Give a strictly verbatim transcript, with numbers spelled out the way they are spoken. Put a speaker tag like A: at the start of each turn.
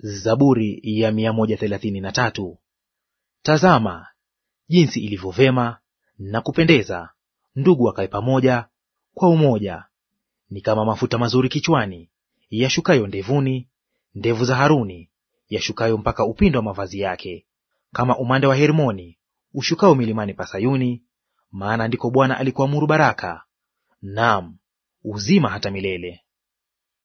A: Zaburi ya mia moja thelathini na tatu. Tazama jinsi ilivyo vema na kupendeza ndugu wakae pamoja kwa umoja. Ni kama mafuta mazuri kichwani, yashukayo ndevuni, ndevu za Haruni, yashukayo mpaka upindo wa mavazi yake. Kama umande wa Hermoni ushukao milimani pa Sayuni, maana ndiko Bwana alikuamuru baraka, naam, uzima hata milele.